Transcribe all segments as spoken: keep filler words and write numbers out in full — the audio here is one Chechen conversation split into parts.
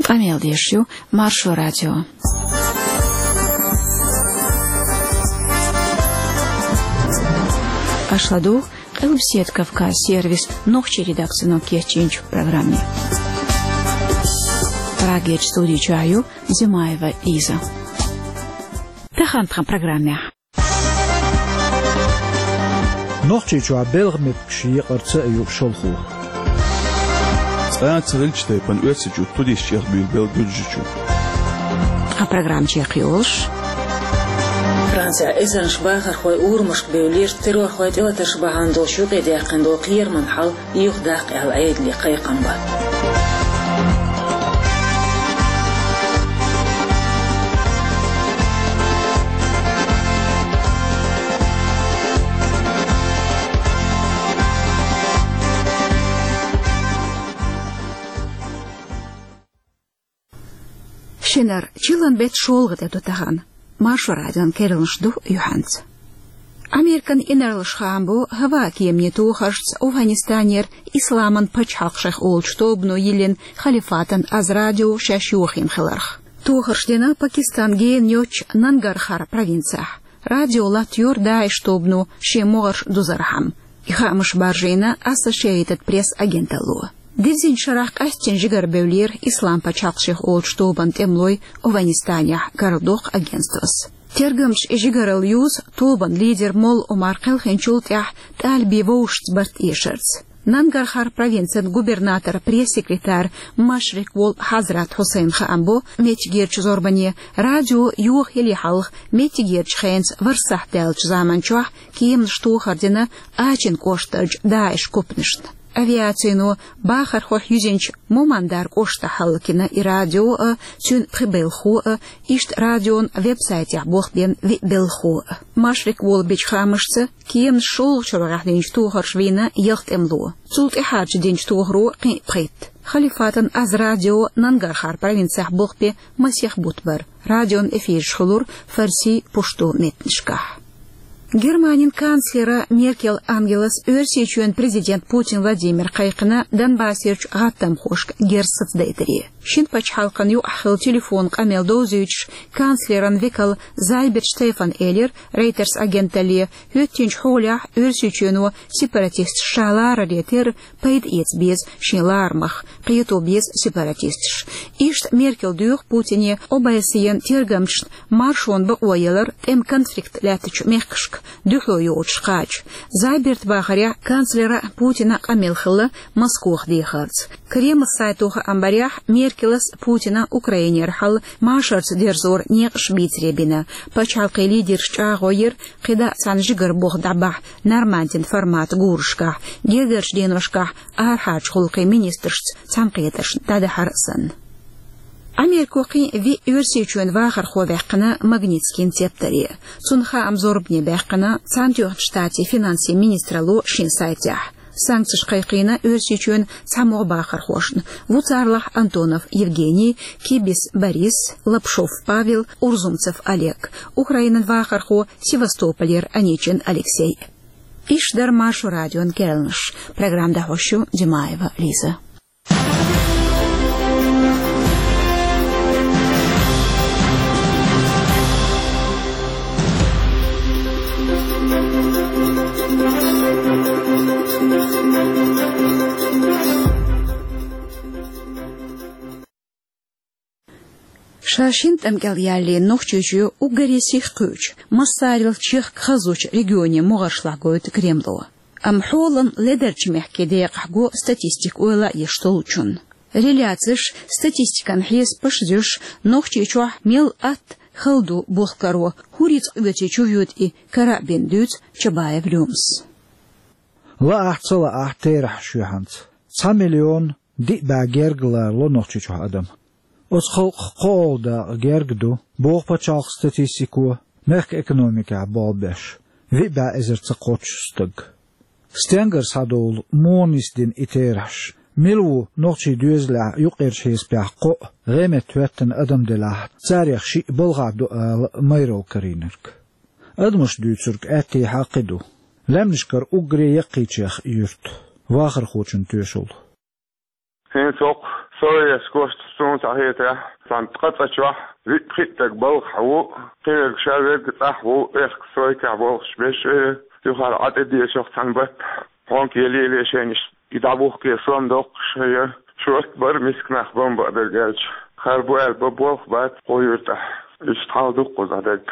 Къамел деш ю Маршо радио. Аша ладугӀу Къилбседа Кавказ сервисан нохчийн редакцино кечйинчу программе. Прагерчу студи чохь ю Зимаева Лиза. Тахана тхан программехь. Нохчийчохь белхан меттигаш екъарца а ю шалхо. Цкъа а ца хилча тайпана Оьрсийчуьра туристаш чӀехбуьйлабелла Гуьржийчу. Тхан программа чекхйолуш. Францехь эзарнаш бахархой урамашка бевллера, террорхойн тӀелатарш бахьана долуш юкъедаьккхина долу кхераман хьал юхадаккха аьлла Ӏедале кхайкхам бан. Шинара чиллан беттан шолгӀа тӀе ду тахана. Маршо радион керланаш ду юьхьанца. Американ инарлаш хаам бо хӀаваан кеманийн тохаршца Афганистанера Исламан пачхьалкх шайх олучу тобано йиллина халифатан аз радио шаьш йохийна хиларх. Тохарш дина Пакистан гена йоцчу Нангархар провинцехь. Радио латтайора ДАИШ тобано шен могӀарш дузархьама. И хаамаш баржийна Ассошиэйтед Пресс агенталло. Дирзинчу шарахь къаьсттина жигара бевллера Ислам пачхьалкх шайх олучу тобанан тӀемалой Афганистанехь, карладоккху агентствос. Тергамчаша и жигаралла юзу тобанан лидер молла Омар кхелхинчул тӀаьхьа тӀалибийн вовшашца барт эшарца. Нангархар провинцин губернаторан пресс-секретарь Машрикъ волу Хьазрат Хьусайн хаам бо меттигерчу зорбане радио йохаяле хьалха меттигерчу хенца ворхӀ сахьт даьллачу заман чохь кеманаш тохар дина Ачин кӀоштарчу ДАИШ купанашна. Авиацино бахархойх юьзинчу Мумандар кӀоштахь хӀаллакйина и радио а, цуьнан пхи белхахо а, иштта радион веб-сайтехь болх бина виъ белхахо а. Машрикъ волу бичу хаамашца, кеманаш шолгӀачу рогӀехь динчу тохарша вийна ялх тӀемало. Цул тӀаьхьарчу динчу тохаро кхин а пхийтта. Халифатан аз радио Нангархар провинцехь болх бен масех бутт бара. Радион эфираш хуьлура фарси, пушту меттанашкахь. Германин канцлера Меркел Ангелас Оьрсийчоьнан президент Путин Владимира кхайкхина Донбассерчу гӀаттамхошка герз сацадайтаре. Шина пачхьалкхан юкъахь хилла телефон къамел довзуьйтуш, канцлеран векал Зайберт Штефана элира Рейтерс агенталле, хӀоьттинчу хьолехь Оьрсийчоьно сепаратисташ ша ларале терра пайда эца беза шен ларамах, кхето беза сепаратисташ. Иштта Меркел доьху Путине Обамас тергамчашна маршонан бакъо ялар тӀеман конфликт лаьттачу мехкашка дуьхьало йолчу кхача. Зайберта бахарехь, канцлера Путина къамел хилла Москох дехарца. Кремлан сайто хаам барехь, Меркелас Путина Украинера хьал машарца дерзоран некъаш бийцаре бина. Пачхьалкхийн лидерш чӀагӀо йира, кхидӀа а цхьана жигара болх дӀабахьа Нормандин форматан гурашкахь, гергарчу деношкахь арахьарчу гӀуллакхийн министрашца цхьаьнакхетаршна дӀадахьар а санна. Америко кхин а виъ Оьрсийчоьнан вахархо ваьккхина Магнитскийн цептаре. Цунна хаам зорбане баьккхина Цхьаьнатоьхначу Штатийн финансийн министралло шен сайтехь. Санкцеш кхайкхийна Оьрсийчоьнан цхьамогӀа бахархошна, ву царлахь Антонов Евгений, Кибис Борис, Лапшов Павел, Урзумцев Олег, Украинан вахархо Севастополера Аничин Алексей. Иш дара Маршо радион керланаш. Программа дӀахьош ю Димаева Лиза. Ша шина тӀам кӀел яьллера Нохчийчоь уггаре сиха кхуьучу, массарел чехка хазачу регионийн могӀаршлахь гойту Кремло. Амма хьолан ледарчу мехкийн декъахь го статистика ойла а еш долчунна. Реляцеш, статистикан хьесапаш а зуьйш, Нохчийчохь мел атта хала ду болх каро, хӀун рицкъ оьций чувоьду и кара а бина, дуьйцу Чабаев Лёмас. Лаахь а, ца лаахь а, терахьаш ю хӀинца. Цхьа миллион диъ бӀе герга ларало Нохчийчохь адам. Оцу халкъах кхоалгӀа дакъа герга ду, боху пачхьалкхан статистико, мехкан экономикехь болх беш, виъ бӀе эзар ца кхоччуш стаг. Стенгара схьадолу муха нисдина и терахьаш? Мила ву нохчийн доьзалехь юккъерчу хьесапехь кхоъ, гӀеметтахӀоьттина адам делахь, царех шиъ балхахь ду ала майралла карийнарг? Адамаша дуьйцург аьттехьа а кхин ду. Лаьмнашкара уггаре яккхийчех юрт, вахархочун тоьшалла. ХӀинца хӀокху Соевс кошта суна схьахетарехь, цхьана ткъа цӀа чохь виъ-пхиъ стаг балхахь ву, кхин верг шарверг цӀахь ву, эккха сойкахь болхуш беш, юхара Ӏа тӀедешох цхьана баттахь. Хьонка еллале шайна иштта и дӀабухке сом доккхуш я, шорта бара миска нах бан бакъдерг аьлча. Хар бу аьлла бан болх бац кхо юьртахь. Иштта хьал ду кхузахь дерг.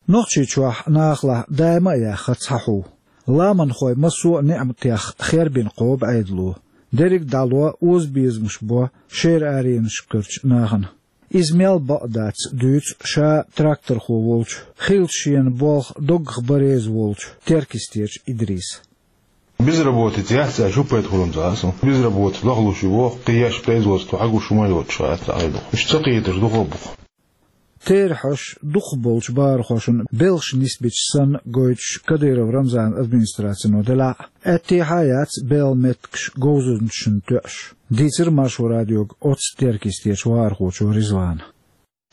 Нохчийчохь нахалахь даима а яьхна цхьа хьу. Ламанхой массо а неӀматех хербина кхобу Ӏедало. Дерриг а дӀало озабезамаш бо шера аренашкарчу нахана. Иза мел бакъ дац дуьйцу ша тракторхо волчу, хиллачу шена болх доггах бан реза волчу Теркйистерчу Идриса. Безработица яц аьлча, хӀун пайда хуьлу-м цхьа а суна? Безработица лахлуш ю боху, кхин еш производство хьагуш хӀума йоцуш вац цхьа а ду. Уьш ца кхеташ дукха а бу-кх. Терахьаш дукхахболчу бахархошна белхаш нисбича санна гойтуш Кадыров Рамзанан администрацино делахь а, аьттехьа а яц белхан меттигаш говзанчашна тоьуш, дийцира Маршо радиога оццу Теркйистерчу вахархочо Ризвана.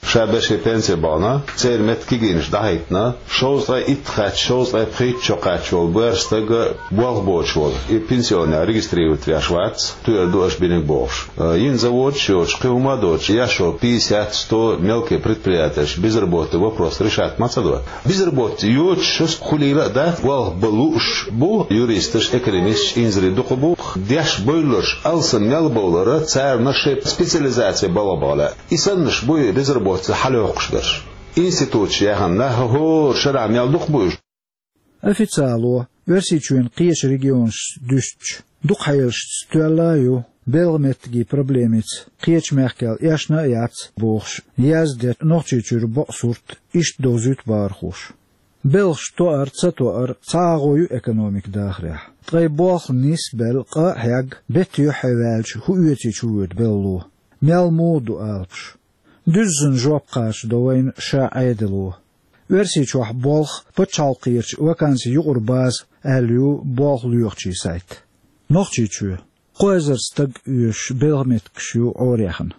Ша беше пенсе бахана, церан метта кегийнаш дӀахӀиттина, шовзткъе итт кхаьчча, шовзткъе пхийтта шо кхаьчча волу боьрша стаг болх боцуш волу. И пенсионер регистрировать веш вац, тоьар ду аша бинарг бохуш. Э, йина заводаш а йоцуш, кхин хӀума а доцуш, еш йолу пятьдесят, сто мелкий предприятеш безработица вопрос решать ма ца до. Безработица йоцуш шуьца хуьлийла а дац, болх бан лууш бу юристаш, экономисташ, инзаре дукха бу. Деш бевлларш алсам мел бовлара, царна шайн специализация балха бахьа лаьа. И саннаш бу и безработица хьалайоккхуш берш. Институташ яьхна нах хӀора шарахь мел дукха бу уьш. Официало, Оьрсийчоьнан кхечу регионашца дуьстича, дукха хьелашца тоьлла а ю, белхан меттигийн проблемица кхечу мехкал эшна а яц бохуш, яздеш Нохчийчуьра бакъ сурт иштта довзуьйту бахархоша. Белхаш тоар, ца тоар цхьа агӀо ю экономика дахарехь. Ткъа и болх нисбелла къа а хьегна, беттан юьххье ваьлча, хӀун оьцийча хӀун воьду белхало? Мел муха ду алапаш? Дуьззина жоп кхачадо вайна ша Ӏедало. Оьрсийчохь болх пачхьалкхерчу вакансийн юкъара база аьлла ю болх лоьхучийн сайт. Нохчийчоь кхо эзар стаг оьшуш белхан меттигаш ю Ӏораяьхна.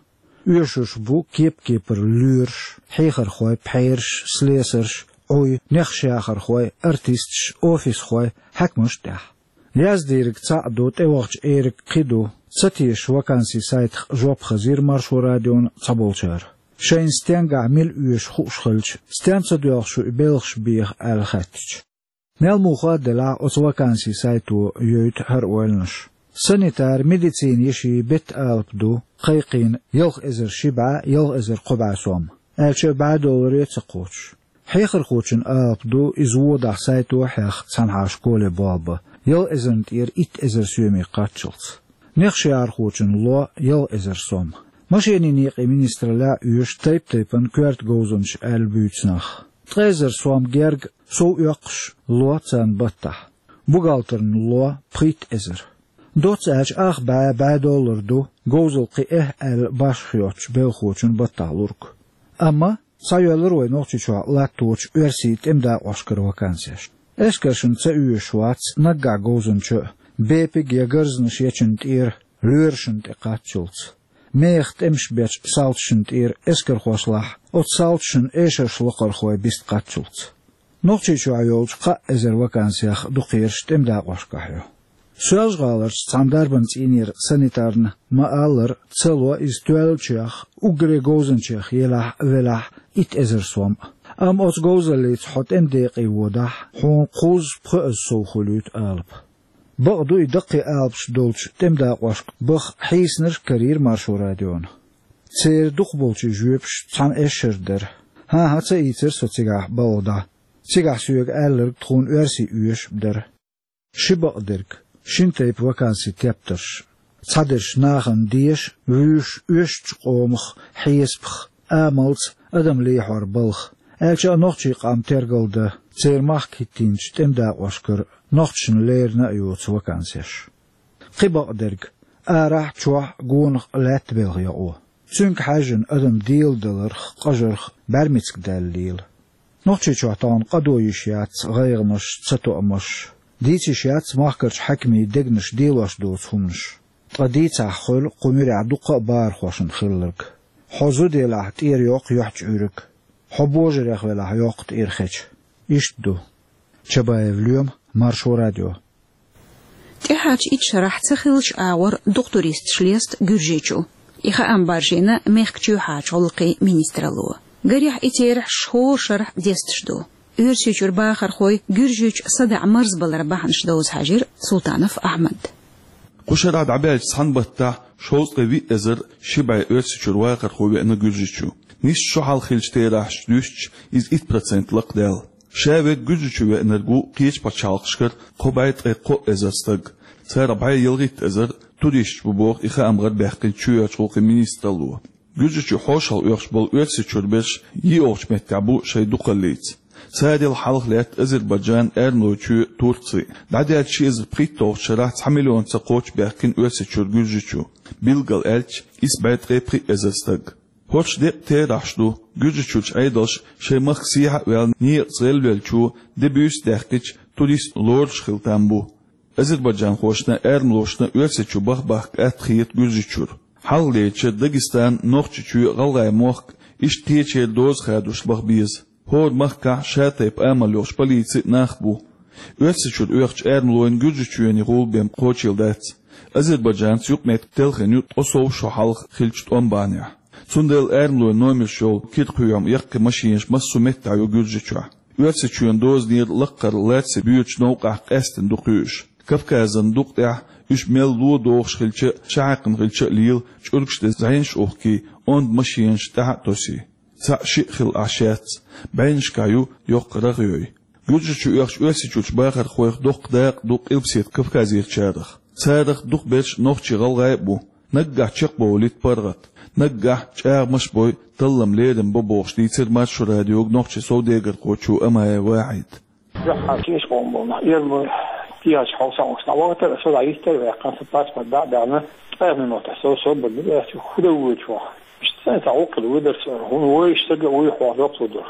Оьшуш бу кеп-кепара лоьраш, хьехархой, пхьераш, слесарш, Ӏуй, нехаш яхархой, артисташ, офисхой, хьаькамаш а тӀехь. Яздийриг цхьаъ ду, тӀевахча эриг кхин ду, ца тешаш вакансийн сайтах жоп хазийра Маршо радиона цхьаболчара. Шайна стенгахь мила оьшу хууш хилча, стенна ца доьлху шу и белхаш беха аьлла хаьттича. Мел муха а делахь, оцу вакансийн сайто йойту хӀара ойланаш. Санитар, медицина йишин беттан алапа ду кхайкхийна ялх эзар ши бӀе, ялх эзар кхо бӀе сом, аьлча а бӀе долларе а ца кхочуш. Хьехархочун алапа ду иза водахь сайто а хьехна цхьанхьа школе болх бан, ялх эзарна тӀера итт эзар соьме кхаччалц. Нехаш яхархочун ло ялх эзар сом. Машенийн некъийн министраллехь а оьшу тайп-тайпана коьрта говзанчаш аьлла буьйцу нах. Ткъа эзар сом герга сов оьккхуш ло царна баттахь. Бухгалтерна ло пхийтта эзар. Доцца аьлча, ах бӀе, бӀе доллар ду говзалла кхин эхь аьлла башха йоцучу белхочун баттахь лург. Амма схьайоьллура вай Нохчийчохь латточу оьрсийн тӀеман дакъошкара вакансеш. Эскаршна ца оьшуш вац наггахь говзанча а, бепиг я гарзанаш ечун тӀера лоьрашна тӀе кхаччалц. Мехах тӀемаш бечу салташна тӀера эскархошлахь, оцу салташна эшарш локхархой биста кхаччалц. Нохчийчохь йолчу кхаа эзар вакансех дукхераш тӀеман дакъошкахь ю. Соьлжа-ГӀаларчу цхьана дарбан цӀийнера санитарна ма-аллара, ца ло иза тоьллачех, уггаре говзанчех елахь а, велахь а, итт эзар сом а. Амма оцу говзаллица хьо тӀеман декъе водахь, хьуна кхузза-пхоьазза сов хуьлуьйту алапа. Бакъ ду, и даккхий алапаш долчу тӀеман дакъошка баха хьийсинарш а карийра Маршо радиона. Церан дукхахболчийн жоьпаш цхьана эшшара дара. ХӀан-хӀа, ца ийцира со цигахь балха дӀа. Цигахь соьга аьлларг тхуна оьрсий оьшуш а дара. Ши бакъдерг, шина тайпа вакансийн тептарш. Цхьадерш нахана деша, вуьйш оьшучу къомах, хьесапах, амалца, адам лехьор балха, аьлча а нохчийн къам тергалдан, церан махка хӀиттийначу тӀеман дакъошкара нохчашна леррина а йоцу вакансеш. Кхин бакъдерг, арахь а, чохь а, гонах а лаьтта белхан йокъо. Цуьнга хьаьжжина адам деладаларх, къажарх бӀаьрмециг даьлла лела. Нохчийчохь тахана къадо йиш яц гӀайгӀанаш, цатоамаш. Дийца йиш яц махкарчу хьаькамийн дегнаш делош доцу хӀуманаш. Ткъа дийцахь хуьлу кху муьрехь дуккха а бахархошна хилларг. Хьо зуда елахь, тӀера йоккху юьхь чӀуьриг. Хьо божарех велахь, йоккху тӀера хеча. Иштта ду. Чабаев Лоьма, Маршо радио. ТӀехьарчу итт шарахь ца хиллачу агӀор дукха туристаш леста Гуьржийчу. И хаам баржийна мехкан чоьхьарчу гӀуллакхийн министралло. Гарехь, и терахьаш хӀора шарахь десташ ду. Оьрсийчуьра бахархой Гуьржийчу садаӀа марзбаларан бахьанаш довза хьаьжира Султанов Ахьмад. Кху шарахь дӀабаьллачу цхьана баттахь шовзткъе виъ эзар ши бӀе Оьрсийчуьра вахархо веана Гуьржийчу. Нийсса шо хьалха хиллачу терахьашца дуьстича, иза итт процент лакхадаьлла. Ша верг Гуьржийчу веанарг ву кхечу пачхьалкхашкара кхо бӀе ткъе кхо эзар стаг. Царах бӀе ялхитта эзар туристаш бу боху и хаам гӀарабаьккхинчу чоьхьарчу гӀуллакхийн министралло. Гуьржийчу хьошалгӀа оьхуш болу Оьрсийчуьра берш йиъолгӀачу меттехь бу шайн дукхаллица. Царел хьалха лаьтта Азербайджан, Эрмалойчоь, Турци. ДӀадаьллачу ши эзар пхийтталгӀачу шарахь цхьа миллион ца кхоччу баьхкина Оьрсийчуьра Гуьржийчу, билггал аьлча, исс бӀе ткъе пхиъ эзар стаг. ХӀорш деккъа терахьаш ду, Гуьржийчуьрчу Ӏедалша шайн махка сехьа а ваьлла, некъаца гӀелвеллачо де-буьйса даьккхича, турист лоруш хила там бу. Азербайджанхошна, эрмалошна Оьрсийчу баха бахка атта хета Гуьржийчуьра. Хьалхалерча Дагестан, Нохчийчоь, ГӀалгӀай мохк, иштта кхечеран доза хадош баха беза. ХӀора махкахь шатайпа амал йолуш полици а, нах а бу. Оьрсийчуьра оьхучу эрмалойн Гуьржийчоьне гӀула бен кхочийла дац. Азербайджанца юкъаметтиг телхина ю ткъе сов шо хьалха хиллачу тӀом бахьанехь. Цундела эрмалойн номерш йолу кира кхоьхьу яккхий машинаш массо а меттехь ю Гуьржийчохь. Оьрсийчоьнан дозанера лаккхара лаьцна боьдучу новкъахь къаьсттина ду кхуьуш. Кавказан дукъа тӀехь уьш мел ло догӀуш хилча а, шахьаькхна хилча а лела, чӀургаш тӀе зӀенаш а ухкий, онда машинаш тӀаьхьа а тосий. Цхьаъ-шиъ хилла Ӏаш яц, бӀеннашкахь ю йоккха рагӀ йой. Гуьржийчу оьхучу Оьрсийчуьрчу бахархойх доккха дакъа ду Къилбаседа Кавказерчарах. Царах дукхахберш нохчий, гӀалгӀай а бу. Наггахь чекхбовлуьйту паргӀат, наггахь чӀагӀамаш а бой, таллам, лерам бо, бохуш дийцира Маршо радиога нохчийн совдегархочо Амаев Вахьида. Юьхьанца иш къоман болу нах, эрмалой, кехаташ хьовсам вац, дӀавахийтар, аса дӀа йистера ваьккхина, сан паспорт дӀа а даьхна, ткъа минотехь со, со бан ду, аьлла, хӀун дан вуьйцу хьо? Иштта сайн цхьа гӀуллакх хилла вуьйдара со, хӀунда вуй иштта стаг, вуй хьо жоп лур ду.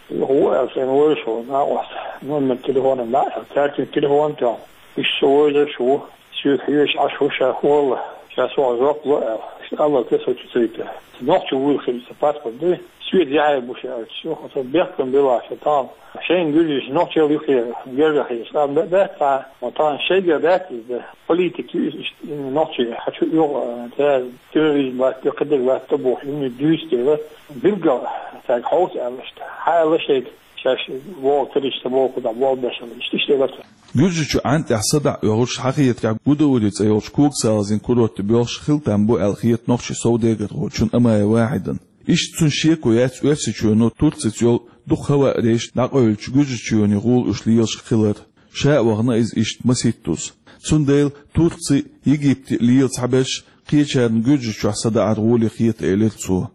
Хьо ву аьлла, сайн вуьйш хьо, накъост, номер телефона дӀа а аьлла, цаьрца телефон тоьхна. Иштта со вуьйш ву, соьга хьоьжуш Ӏаш ву ша хӀаллак, ша сох жоп ло аьлла. Иштта аллал те со чу ца йитар. Нохчо вуйла хилла сан паспорт дуй. Соьца яхье бу ша аьлча, со бехкам била ша тахана. Шайна гуьржийчу нохчалла юххе герга хилча, тӀаккха бе-, баьтта, ма тахана шайгара даьтта иза. Политик ю иза, иштта, нохчий, хьан чу оьгӀу, а, цара терроризм бац, кхидерг бац, тӀе бохуш, имни дуьйцу дела, билггал цаьрга хьовса аьлла иштта. Хьан аьлла шайга, шаьш вогӀу терроризм ца боху, кхузахь болх беш хилла, иштта, иштта элира цо. Гуьржийчу Ӏан тӀехь садаӀа оьхуш, Хьахетарехь Гудаури цӀе йолчу Когассалазин курорте боьлхуш хила там бу аьлла хета нохчийн совдегархочунна Амаев Вахьидна. Иштта цуьнан шеко яц Оьрсийчоьно Турцица йолу дукха хӀаваъ рейс дӀакъевлича Гуьржийчоьне гӀула уьш лелаш хилар. Ша а вахана иза иштта масийттаза. Цундела Турци, Египте лела цхьаберш кхечарна Гуьржийчохь садаӀар гӀоле хета, элира цо.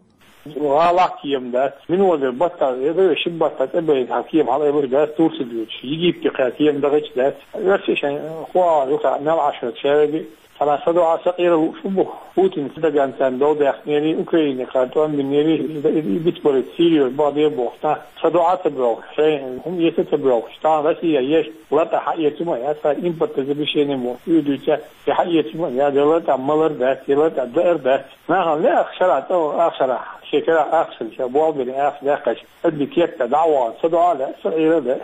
ГӀалахь кема дац. Минвазар баттахь, я дан ши баттахь тӀебайта хьан кема хьалаайбеш дац Турци доьдуш. Египте кхаьчна кема дахийташ дац. Оьрсий шайн хӀоа юха мел Ӏаш хилча, ша веги Цхьана садоӀа сакъера лууш бу. Путин Эрдоганца дов даьккхинера, Украине кхара тӀом бинера, и, и, и бицбарийта Сирия бахьа де бохуш, тхан садоӀа ца боьлху, шайн хӀума эца ца боьлхуш, тхан Россия еш, лата хьаэца ма яц, тхан импортозамещение боху, уьдуьйца, и хьаэца ма яц, я лата малар дац, я лата даар дац. Нахана лаьа шарахь тӀе, ах шарахь, шен кара ах шарахь, ша болх бина ах даьккхача, адми кепта дӀа а вахана, садоӀа лаьа, сакъера лаьа.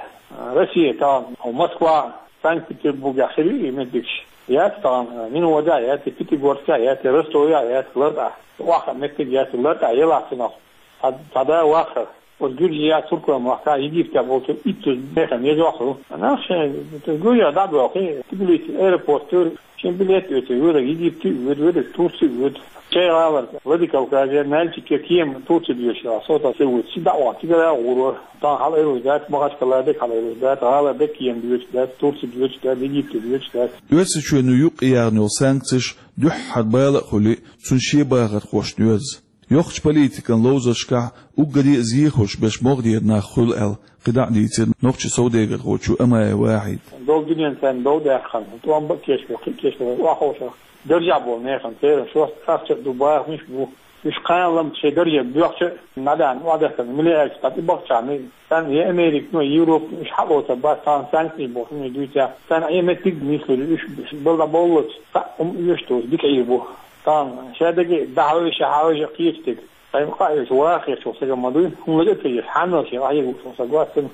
Россия тхан, Москва, Санкт-Петербургехь хир ю и меттигаш. Яц тахана, Минводехь яц, Пятигорскехь яц, Ростовехь яц, лартӀахь. Охьа меттиг яц, лартӀахь елахь цунах. Цхьа, цхьа да вахар. Оцу Гуьржехь, Туркойн махкахь, Египтехь болчу итт зуз механа еза вахар ву. Нах шайн, Гуьржехь дӀа а боьлхий, Тбилиси аэропорт, шайн билет оьцу, вераг Египте а воьду, вераг Турце а воьду. Шайн гӀалара, Владикавказе, Нальчике кема Турце доьшуш, со тӀе ца воьду. Ши дӀа а вахана, цигара а гӀур вара. Тхан хьалаайралуш дац, Махачкала дерг хьалаайралуш дац, гӀалара дерг кема доьшуш дац, Турци доьшуш дац, Египте доьшуш дац. Оьрсийчоьно юкъаяьхна йолу санкцеш дуьххьара бала а хуьлий, цуьнан шен бахархошна йоьзна. Йоккхачу политикан ловзаршкахь уггаре а зехаш берш могӀарера нах хуьлу аьлла, кхидӀа а дийцира нохчийн совдегархочо Амаев Вахьида. Долу дуьненна царна дов даьккхина, тӀом бан а кечбелла, кхин а кечбелла, охьаховшах. Даржехь болу нехан церан шоста ахча а ду, бахамаш а бу. Уьш кхана лам шайн дарже боьхча а, набаьхна охьадахана, мила аьлча, цхьа тӀебахчахьа, царна я Американо, я Европано уьш хьалоцур бац, тхан санкцеш боху хӀума дуьйцахь. Царна Ӏен меттиг а нислур ю, уьш балла боллалц, цхьаъ хӀума оьшуш доцу дика Ӏийр бу. Тхан шадерг а дӀахьожа, хьахьожа кхечу стеган. Цхьа къа а оьшу, ваха хеташ волу стаг ма дуй, хӀума лага а ца еш, хьанал шен къахьега лууш волу стаг вац цуьнан.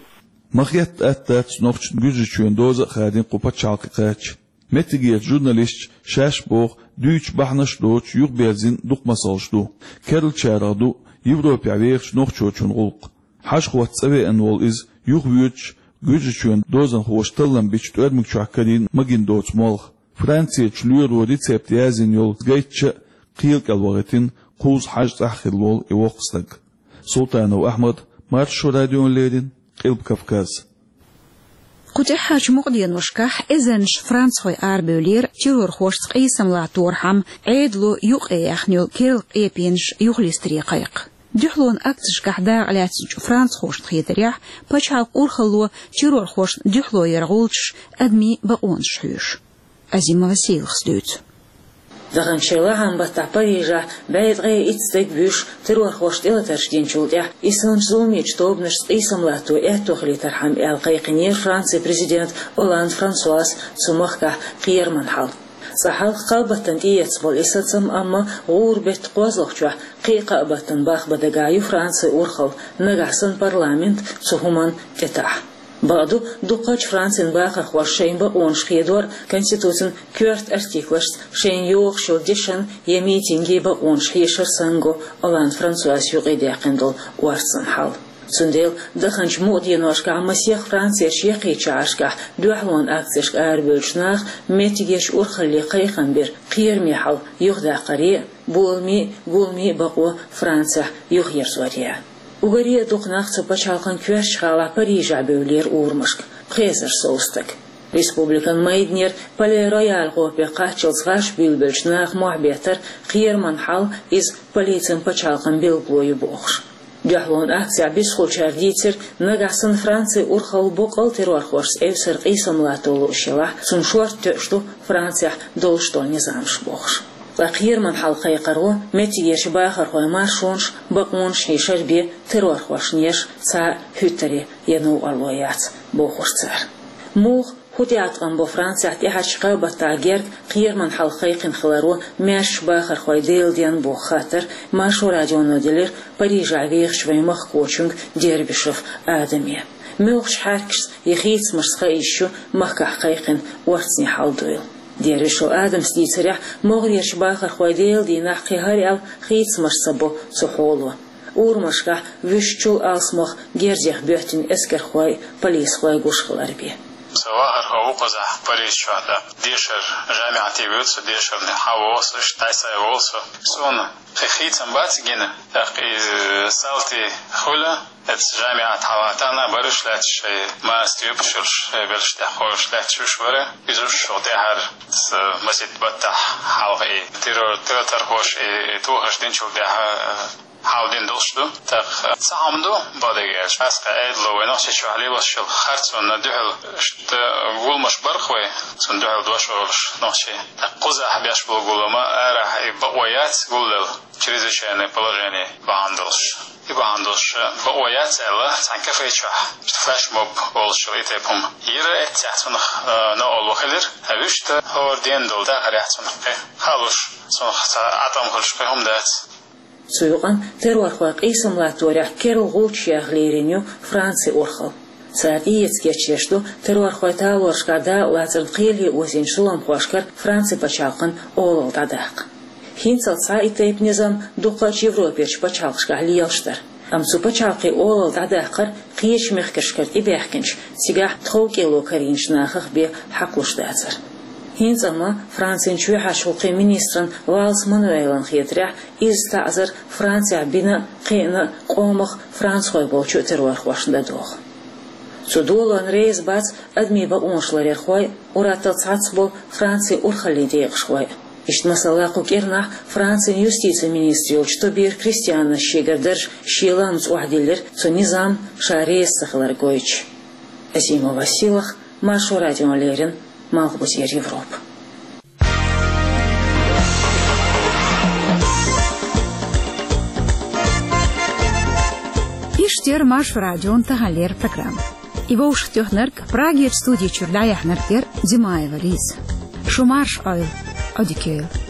Ма хетта атта дац нохчашна Гуьржийчоьнан доза а хадийна кху пачхьалкхе кхача. Меттигерчу журналисташа шаьш боху дуьйцуш бахьанаш доцуш юхаберзина дукха масалш ду. Керлачарах ду Европехь вехачу нохчочун гӀуллакх. Хьажа-хӀотта цӀа веана волу иза юхавоьдуш, Гуьржийчоьнан дозанхоша таллам бича тӀоьрмиг чохь карийна магийна доцу молха. Францерчу лоьро рецепт яздина йолу гайтча а кхел кӀел вахийтина, кхузза хьажа цӀахь хилла волу и воккха стаг. Султанов Ахьмад, Маршо радиона леррина, Къилба Кавказ. Кху тӀаьххьарчу мукъаденошкахь эзарнаш францхой арабевллера террорхошца къийсам латторхьама Ӏедало юкъаяьхна йолу керла къепенаш юхалистаре кхайкха. Дуьхьалонан акцешкахь дакъалаьцначу францхошна хетарехь, пачхьалкхан урхалло террорхошна дуьхьало яран гӀулчаш адамийн бакъонаш хьоьшу. Азимова Сийлахас дуьйцу. Даханчу шеран лахьан баттахь Парижехь бӀе ткъе итт стаг вуьйш террорхошна тӀелатарш динчул тӀаьхьа, исс санначу зуламечу тобанашца къийсам латто аьтто хилийтархьама аьлла кхайкхинера Францин президент Олланд Франсуас цу махкахь кхераман хьал. Цкъа хьалха кхаа баттана тӀеэцна болу и сацам, амма гӀуран беттан кхозлагӀчохь кхин а кхаа баттана бахбан дагахь ю Францин урхалла, нагахь санна парламент цу хӀуманна тӀетаӀахь. Бакъду, дукхачу Францин бахархоша шайн бакъонаш хедор конституцин коьрта артиклашца шайна йогӀуш йолу дешан я митинган бакъонаш хьешар санна го Олланд Франсуас юкъадаьккхина долу орцан хьал. Цундела даханчу мукъаденошкахь масех Францерчу яккхийчу шахьаршкахь дуьхьалонан акцешка арабевллачу наха меттигерчу урхалле кхайкхам бира кхераме хьал юхадаккхаре а, боламе а, гуламе а бакъо Францехь юхаерзоре а. Уггаре а дукха нах цу пачхьалкхан коьртачу гӀалахь Парижехь бевллера урамашка, пхи эзар сов стаг. Республикан майданера Пале-Рояль гӀопе кхаччалц гӀаш буьйлабеллачу наха мохь беттара кхераман хьал, иза полицин пачхьалкхан билгало ю бохуш. Дуьхьалонан акцехь бисхуьлучара дийцира, нагахь санна Францин урхалла боккъал террорхошца эвсара къийсам латто лууш елахь, цунна шорта тоьуш ду Францехь долуш долу низамаш бохуш. Ткъа кхераман хьал кхайкхаро меттигерчу бахархойн маршонаш, бакъонаш хьешар бен террорхошна еш цхьа а хӀуьттаре я новкъарло яц, бохура цара. Муха, хӀун тӀеӀаткъам бо Францехь тӀаьхьарчу кхаа баттахь герга кхераман хьал кхайкхина хиларо маьршачу бахархойн деладенна боху хаттар Маршо радионо делира Парижехь вехачу вайн махкахочуьнга Дербишев Адаме. Муьлхачу хьаьркашца я хийцамашца хаийта ю махкахь кхайкхина орцанийн хьал дуйла. Дербишев Адамас дийцарехь, могӀарерчу бахархойн деладийнахь кхин хӀара аьлла хийцамаш ца бо цу хьоло. Урамашкахь вуьшта чул алсамох герзех боьттина эскархой, полисхой гуш хилар бен. Со вахархо ву кхузахь Париж чохь, тӀаккха дешар жамиӀате вуьйцу, дешарна хьан волу со, иштта дӀасай волу со. Суна кхин хийцам бац гина, тӀаккха иза салти хуьлу, эцца жамиӀат хьалха тахана бараш лаьтташ шайн маска юьпуш йолуш, шайн белш тӀехь кхойуш лаьтташ уьш бара. Иза уьш шух тӀаьхьара, аса масийтта баттахь хьалха и террор, террорхоша и, и тохаш динчул тӀаьхьа, а, хьал дина долуш ду. ТӀаккха цхьа хӀума ду, бакъдерг аьлча, маска Ӏедало вай Нохчийчохь лелош йолу харцонна дуьхьал иштта гуламаш бара-кх вай, цунна дуьхьал дош олуш нохчий. ТӀаккха кхузахь беш болу гулам а, арахь и бакъо яц гуллал, чрезвычайное положение бахьана долуш. И бахьана долуш бакъо яц аьлла, цхьана кафе чохь иштта флешмоб олуш йолу и тайпа хӀума йира, эццехь цунах, а, новкъарло хилира, а вуьшта хӀора денна долу дахарехь цунах кхин халуш, цунах цхьа Ӏа тӀом хуьлуш кхин хӀума дац. Цу юкъана террорхойн къийсам латторехь керла гӀулчаш яха лерина ю Францин урхалла. Цара тӀеэца кечдеш ду террорхойн талорашкахь дакъалацарна кхеле озийначу зуламхошкара Францин пачхьалкхан олалла дӀадаккха. ХӀинццалц цхьа и тайпа низам дукхачу Европерчу пачхьалкхашкахь лелаш дара. Амма цу пачхьалкхийн олалла дӀадаккхар кхечу мехкашкара тӀебаьхкинчу, цигахь тхов кӀело карийначу нахах бен хьакхалуш дацара. ХӀинца амма Францин чоьхьарчу гӀуллакхийн министран Валс Мануэлан хетарехь, изза таӀзар Францехь бина а, кхиъна а къомах францхой болчу террорхошна дан догӀу. Цу долонна реза бац адамийн бакъонаш ларъярхой а, уьш тӀехь цхьацца болу Францин урхаллийн декъашхой а. Иштта, масала, кху кӀирнахь Францин юстицин министр йолчу Тобир Кристианас шегара дарж шен лаамца охьадиллира, цу низам ша реза ца хилар гойтуш. Азимова Сийлаха, Маршо радиона леррина, Малхбузера Европа. Иштта яра Маршо радион таханлера программа. И вовшахтоьхнарг, Прагерчу студи чуьра дӀаяьхьнарг яра Димаева Лиза. Шу марша Ӏойла, Ӏодика йойла.